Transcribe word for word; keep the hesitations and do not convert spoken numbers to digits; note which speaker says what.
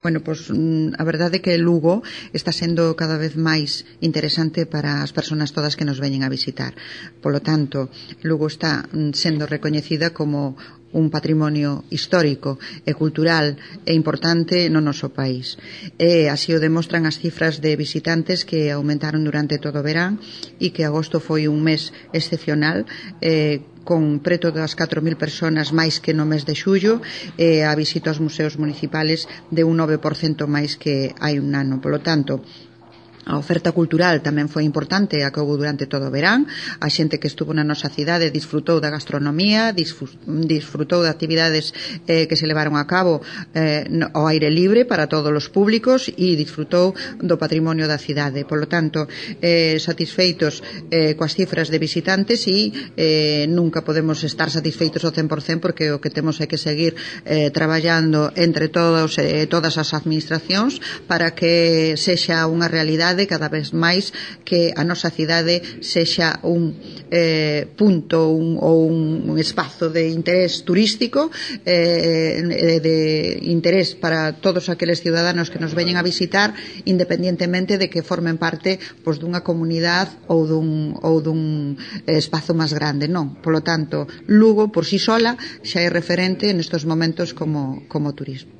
Speaker 1: Bueno, pois a verdade é que Lugo está sendo cada vez máis interesante para as persoas todas que nos veñen a visitar. Polo tanto, Lugo está sendo recoñecida como un patrimonio histórico e cultural e importante no noso país. E así o demostran as cifras de visitantes que aumentaron durante todo o verán e que agosto foi un mes excepcional, eh, con preto das catro mil persoas máis que no mes de xullo, e a visita aos museos municipales de un nove por cento máis que hai un ano. Polo tanto, a oferta cultural tamén foi importante, a que houve durante todo o verán. A xente que estuvo na nosa cidade disfrutou da gastronomía, disfrutou de actividades eh, que se levaron a cabo eh, ao aire libre para todos os públicos e disfrutou do patrimonio da cidade. Por lo tanto, eh, satisfeitos eh, coas cifras de visitantes e eh, nunca podemos estar satisfeitos ao cen por cento, porque o que temos é que seguir eh, traballando entre todos, eh, todas as administracións para que sexa unha realidade cada vez máis que a nosa cidade sexa un eh, punto un, ou un, un espazo de interés turístico, eh, de interés para todos aqueles ciudadanos que nos veñen a visitar, independientemente de que formen parte pois, dunha comunidade ou dun, ou dun espazo máis grande. Non, polo tanto, Lugo por si sola xa é referente nestes momentos como, como turismo.